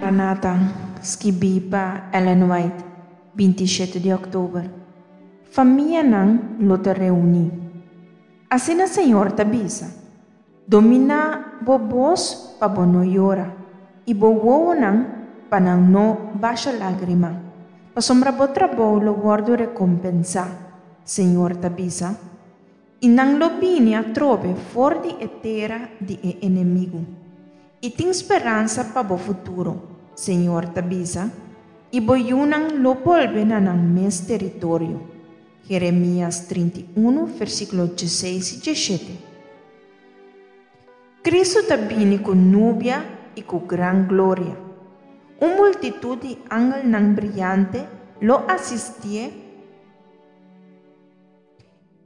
Maranata, skibí pa Ellen White, 27 di òktober. Famianan lo ta reuní. Asina Señor ta bisa, Dominá bo bos pa bo no yora, i bo wowonan pa nan no basha lágrima, pasobra bo trabou lo wòrdu rekompensá, Señor ta bisa. I nan lo bini atrobe for di e tera di e enemigu. I tin speransa pa bo futuro, Señor ta bisa, i bo yunan lo bolbe na nan mes teritorio. Jeremias 31, versíkulo 16 i 17. Kristu ta bini ku nubia i ku gran gloria. Un multitut di angelnan briante lo asistié.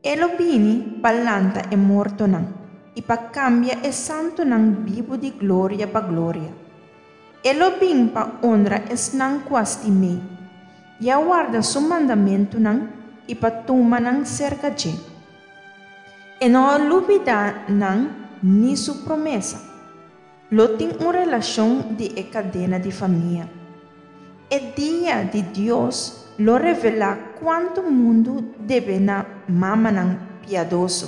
E lo bini pa lanta e mortonan i pa kambia e santunan bibu di gloria pa gloria. E lo bin pa onra esnan ku a stim'é i a warda su mandamentunan i pa tuma nan serka dje. E no a lubidá nan ni su promesa. Lo tin un relashon di e kadena di famia. E dia di Dios lo revelá kuantu mundu debe na mamanan piadoso.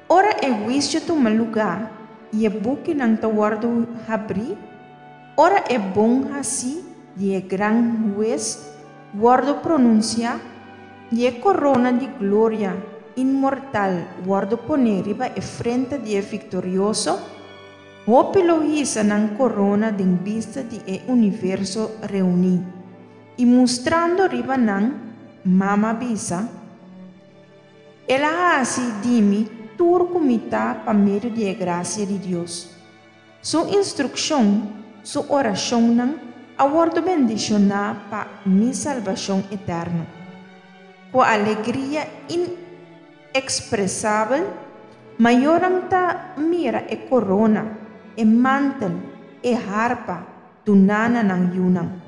Ora e huisio tuma lugá i e bukinan ta wòrdu habrí, ora e bon hasí di e gran Hues wòrdu pronunsiá i e korona di gloria inmortal wòrdu poné riba e frente di e viktorioso, hopi lo hisa nan korona den bista di e universo reuní, i mustrando riba nan mama bisa, El a hasi di mi tur ku mi ta pa medio di e grasia di Dios. Su instrukshon, su orashonnan a wòrdu bendishoná pa mi salbashon eterno. Ku alegria inekspresabel, mayornan ta mira e korona, e mantel, e harpa duná na nan yunan.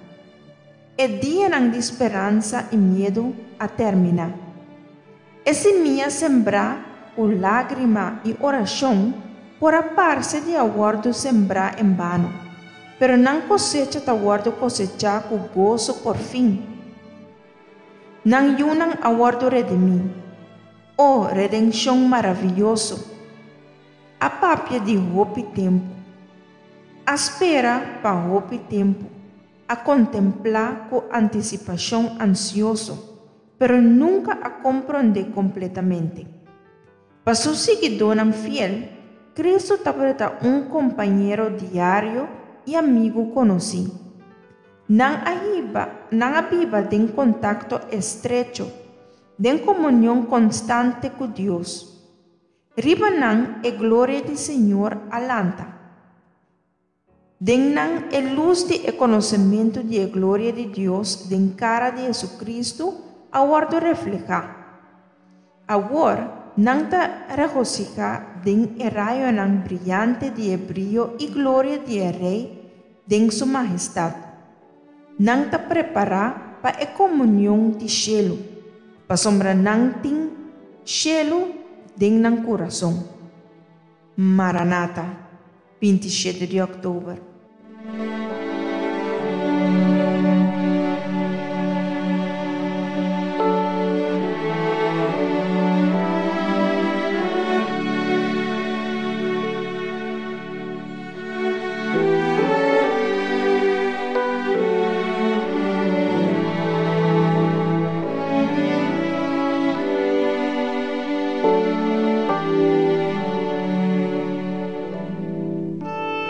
E dianan di speransa i miedu a terminá. E simia sembrá ku lágrima i orashon por a parse di a wòrdu sembrá en bano, pero nan kosecha ta wòrdu kosechá ku goso porfin. Nan yunan a wòrdu redimí. O, redenshon maravioso! A papia di hopi tempu. A spera pa hopi tempu. A kontemplá ku antisipashon ansioso, pero nunka a komprondé kompletamente. Pa su siguidónan fiel, Kristu tabata un kompañero diario i amigu konosí. Nan a hiba, nan a biba den kontakto estrecho, den komunion konstante ku Dios. Riba nan e gloria di Señor a lanta. Den nan e lus di e konosementu di e gloria di Dios den kara di Hesu-Kristu a wòrdu reflehá. Awor nan ta regosihá den e rayonan briante di e brio i gloria di e Rei den Su mahestat. Nan ta prepará pa e komunion di shelu, pasobra nan tin shelu den nan kurason. Maranata, 27 di òktober.